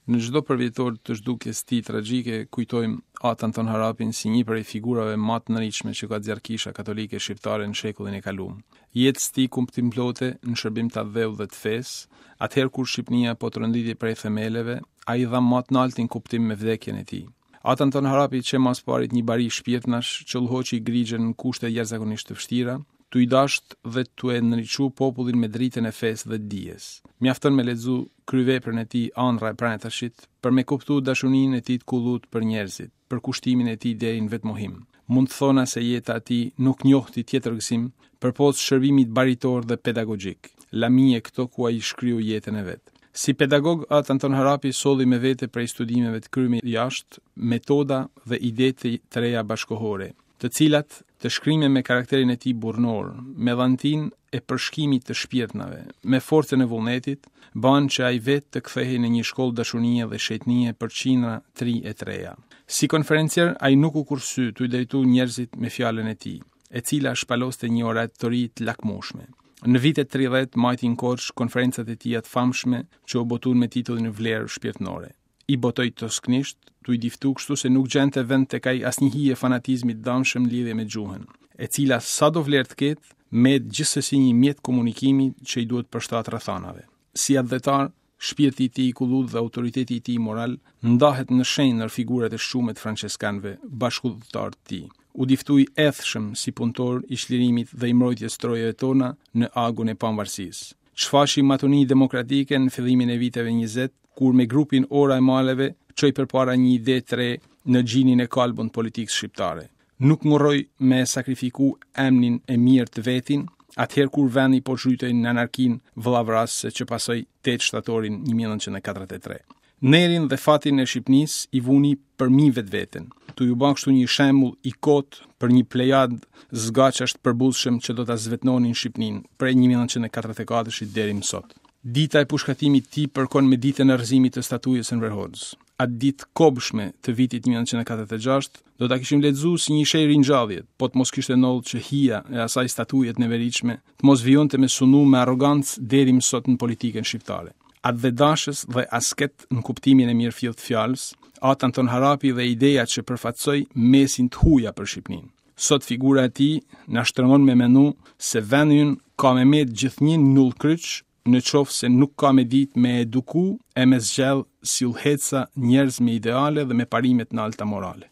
Në çdo përvjetor të zhdukjes tij tragjike kujtojmë At Anton Harapin si një prej figurave ma të ndritshme që ka nxjerrë Kisha Katolike Shqiptare në shekullin e kalum. Jetës tij kuptimplote në shërbim të atdheut dhe të fesë, atëherë kur Shqipnia po tronditej prej themeleve, ai dha ma të naltin kuptim me vdekjen e tij. At Anton Harapi qe ma s'parit një bari shpirtnash që udhëhoqi grigjën në kushte jashtëzakonisht të vështira, tu i dasht dhe tu e ndriçu popullin me dritën e fesë dhe dijes. Mjafton me lexu kryeveprën e tij Andrra e Prajtashit për me kuptu dashuninë e tij të kullut për njerëzit, përkushtimin e tij deri në vetëmohim. Mund të thona se jeta e tij nuk njohti tjetër gëzim përpos shërbimit baritor dhe pedagogjik, lamie këto ku ai shkryu jetën e vet. Si pedagog, At Anton Harapi solli me vete prej studimeve të kryme jashtë metoda dhe ide të reja bashkëkohore, të cilat, të shkrime me karakterin e tij burrnor, me dhantinë e përshkimit të shpirtnave, me forcën e vullnetit, banë që ai vetë të kthehej në një shkollë dashunie dhe shejtnie për qindra të ri e të reja. Si konferencier, ai nuk u kursy tu i drejtu njerëzit me fjalën e tij. e cila shpaloste një oratori të lakmushme. Në vitet 30 majti në Korçë konferencat e tija të famshme që u botun me titullin Vlerë shpirtnore. I botoi tosknisht, tu i diftu kështu se nuk gjente vend tek ai asnjë hije fanatizmi të damshëm në lidhje me gjuhën, e cila sado vlerë të ketë, met gjithsesi një mjet komunikimi që i duhet përshtat rrethanave. Si atdhetar, Shpirti i tij i kullut dhe autoriteti i tij moral ndahet në shenjë ndër figurat e shqume të françeskanëve, bashkudhëtarë të tij. U diftu i ethshëm si punëtor i çlirimit dhe i mbrojtjes trojeve tona në agun e pavarësisë. Shfaqi matuni demokratike në fillimin e viteve 20, kur me grupin Ora e Maleve çoi përpara një ide të re në gjinin e kalbun të politikës shqiptare. Nuk ngurroi me e sakrifiku emnin e mirë të vetin, atëherë kur vendi po zhytej në anarkinë vëllavrasëse që pasoi 8 shtatorin 1943. Nerin dhe fatin e Shqipnisë i vuni përmi vetveten, tu ju ba kështu një shembull i kotë për një plejadë zgaqash të përbuzshëm që do ta zvetnonin Shqipninë prej 1944-shit deri më sot. Dita e pushkatimit të tij përkon me ditën e rrëzimit të statujës së Enver Hoxhës. Atë ditë të kobshme të vitit 1946 do ta kishim lexu si një shenjë ringjallje, po të mos kishte ndodhur që hija e asaj statuje të neveritshme të mos vijonte me sundu me arrogancë deri më sot në politikën shqiptare. Atdhedashës dhe asket në kuptimin e mirëfilltë të fjalës, At Anton Harapi dhe ideja që përfaqësoi mesin të huja për Shqipninë. Sot figura e tij na shtrëngon me menu se vendi ynë ka me met gjithnjë në udhëkryq në qoftë se nuk ka me ditë me eduku e me zgjedh si udhëheqësa njerëz me ideale dhe me parime të nalta morale.